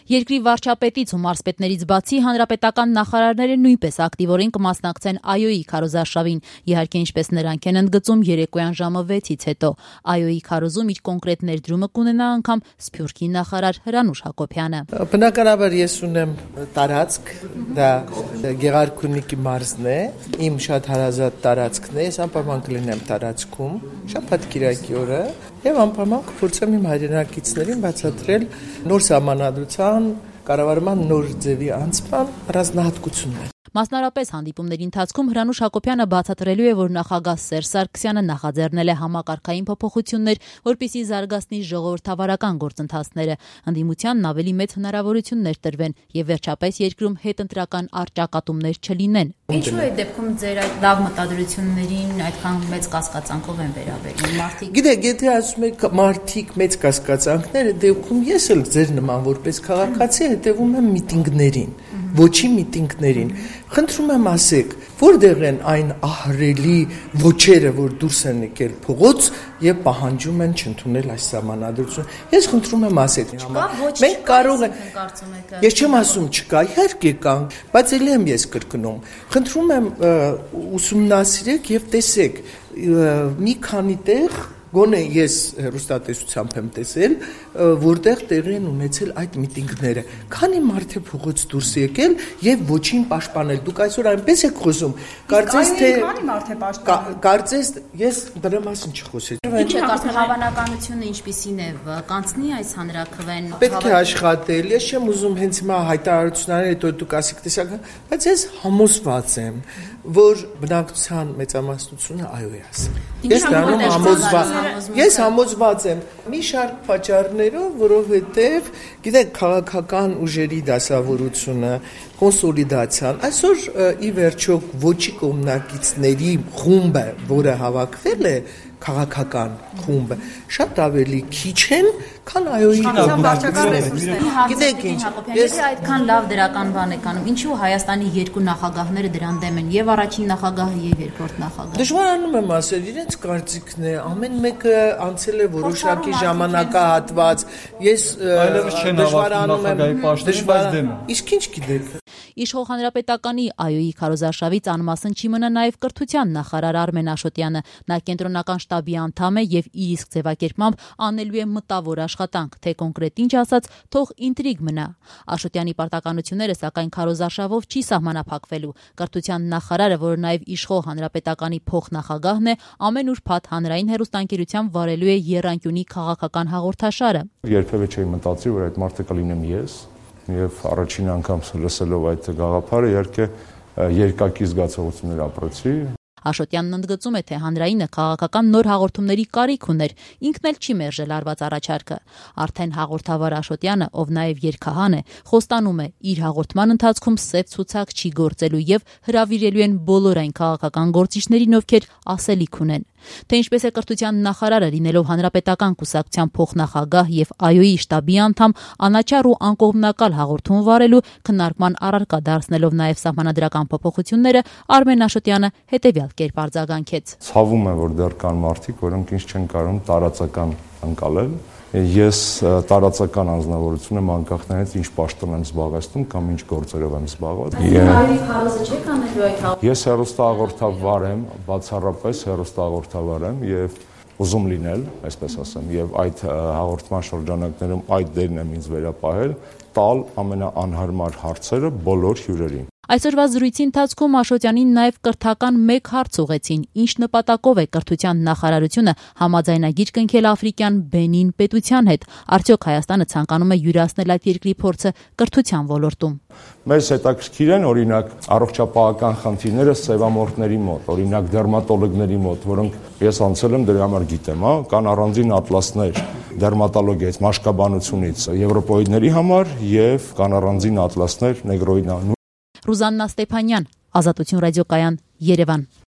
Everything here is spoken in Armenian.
Երկրի վարչապետից ու մարզպետներից բացի հանրապետական նախարարները նույնպես ակտիվորեն կմասնակցեն ԱՅՈ-ի քարոզարշավին, իհարկե ինչպես նրանք են ընդգծում երեկոյան ժամը 6-ից հետո։ ԱՅՈ-ի քարոզում իր կոնկրետ ներդրումը կունենա անգամ Սփյուռքի նախարար Հրանուշ Հակոբյանը։ Բնականաբար ես ունեմ տարածք, դա Գեղարքունիքի մարզն է, իմ շատ հարազատ տարածքն է, ես անպայման կլինեմ տարածքում, շաբաթ կիրակի օրը եւ անպայման կփորձեմ իմ հայրենակիցներին բացատրել նոր սահմանադրության կառավարման նոր ձևի անցման առանձնահատկություններ։ Մասնարապես հանդիպումների ընթացքում Հրանուշ Հակոբյանը բացատրելու է, որ նախագահ Սերժ Սարգսյանը նախաձեռնել է համակարգային փոփոխություններ, որպեսզի զարգացնի ժողովրդավարական գործընթացները, ընդդիմությանն ավելի մեծ հնարավորություններ տրվեն եւ վերջապես երկրում հետընտրական առճակատումներ չլինեն։ Ինչու է դեպքում ձեր այդ լավ մտադրություններին այդքան մեծ կասկածանքով են վերաբերվում մարդիկ։ Գիտեք, եթե ասում եք մարդիկ մեծ կասկածանքները, դեպքում ես էլ ձեր նման որպես քաղաքացի հետևում եմ միտինգներին, ոչի միտինգներին։ Խնդրում եմ ասեք, որտեղ են այն ահռելի ոչերը, որ դուրս են եկել փողոց եւ պահանջում են չընդունել այս սահմանադրությունը։ Ես խնդրում եմ ասեք, մենք կարող ենք, ես չեմ ասում չկա, իհարկե կան, բայց ելի եմ ես կրկնում։ Խնդրում եմ ուսումնասիրեք եւ տեսեք, մի քանի տեղ գոնե ես հեռուստատեսությամբ եմ տեսել, որտեղ տեղի են ունեցել այդ միտինգները։ Քանի մարդ է փողոց դուրս եկել եւ ոչին պաշտպանել։ Դուք այսօր այնպես եք խոսում, կարծես թե քանի մարդ է պաշտպանել։ Կարծես ես դրա մասին չխոսեցի։ Ինչ է կարծում հավանականությունը ինչպիսին է կանցնի այս հանրաքվեն։ Պետք է աշխատել։ Ես չեմ ուզում հենց հիմա հայտարարությունները հետո դուք ասեք տեսական, բայց ես համոզված եմ, որ բնակչության մեծամասնությունը այո է ասել։ Ես դառնում Ես համոզված եմ մի շարք պատճառներով, որովհետև գիտեք քաղաքական ուժերի դասավորությունը, կոնսոլիդացիան, այսօր ի վերջո ոչի կողմնակիցների խումբը, որը հավաքվել է քաղաքական խումբը, շատ ավելի քիչ են, քան ԱՅՈ-ի կողմնակիցները։ Գիտեք ինչ, ես այդքան լավ դրական բան եք անում, ինչու Հայաստանի երկու նախագահները դրան դեմ են, եւ առաջին նախագահը եւ երկրորդ նախագահը։ Դժվարանում եմ ասել, իրենց կարծիքն է, ամեն մեկը անցել է որոշակի ժամանակահատված։ Ես դժվարանում եմ, իսկ ինչ գիտեք։ Իշխող հանրապետականի ԱՅՈ-ի քարոզարշավից անմասն չի մնա նաև կրթության նախարար Արմեն Աշոտյանը։ Նա կենտրոնական շտաբի անդամ է եւ իր իսկ ձևակերպմամբ անելու է մտավոր աշխատանք, թե կոնկրետ ինչ ասած, թող ինտրիգ մնա։ Աշոտյանի պարտականությունները սակայն քարոզարշավով չի սահմանափակվելու։ Կրթության նախարարը, որը նաև իշխող հանրապետականի փոխնախագահն է, ամեն ուրբաթ հանրային հեռուստաընկերությամբ վարելու է Եռանկյունի քաղաքական հաղորդաշարը։ Երբևէ չէի մտածի, որ այդ մարդը կլինեմ ես։ Եվ առաջին անգամ լսելով այդ գաղափարը իհարկե երկակի զգացողություններ ապրեցի։ Աշոտյանն ընդգծում է, թե հանրայինը քաղաքական նոր հաղորդումների կարիք ուներ, ինքն էլ չի մերժել արված առաջարկը։ Արդեն հաղորդավար Աշոտյանը, ով նաև երգահան է, խոստանում է, իր հաղորդման ընթացքում սև ցուցակ չի գործելու եւ հրավիրելու են բոլոր այն քաղաքական գործիչներին, ովքեր ասելիք ունեն։ Թե ինչպես է կրթության նախարարը լինելով հանրապետական կուսակցության փոխնախագահ եւ ԱՅՈ-ի շտաբի անդամ անաչառ ու անկողմնակալ հաղորդում վարելու քննարկման առարկա դարձնելով նաեւ սահմանադրական փոփոխությունները, Արմեն Աշոտյանը հետեւյալ կերպ արձագանքեց. Ցավում է, որ դեռ կան մարդիկ, որոնք ինչ չեն կարող տարածական անցալել։ Ես տարածական անձնավորություն եմ անկախ նրանից ինչ պաշտոն եմ զբաղեցնում կամ ինչ գործերով եմ զբաղված։ Ես հեռուստահաղորդավար եմ, բացառապես հեռուստահաղորդավար եմ եւ ուզում լինել, այսպես ասեմ, եւ այդ հաղորդման շրջանակներում այդ դերն եմ ինձ վերապահել, տալ ամենաանհարմար հարցերը բոլոր հյուրերին։ Այսօրվա զրույցի ընթացքում Աշոտյանին նաև կրթական մեկ հարց ուղեցին. ինչ նպատակով է կրթության նախարարությունը համաձայնագիր կնքել աֆրիկյան Բենին պետության հետ, արդյոք Հայաստանը ցանկանում է յուրացնել այդ երկրի փորձը կրթության ոլորտում։ Մեզ հետաքրքիր են օրինակ առողջապահական խնդիրները սևամորթների մոտ, օրինակ դերմատոլոգների մոտ, որոնք ես անցել եմ դրա համար գիտեմ, կան առանձին ատլասներ դերմատոլոգիայից, մաշկաբանությունից, եվրոպոիդների համար եւ կան առանձին ատլասներ նեգրոիդան։ Ռուզաննա Ստեփանյան, Ազատություն ռադիոկայան, Երևան։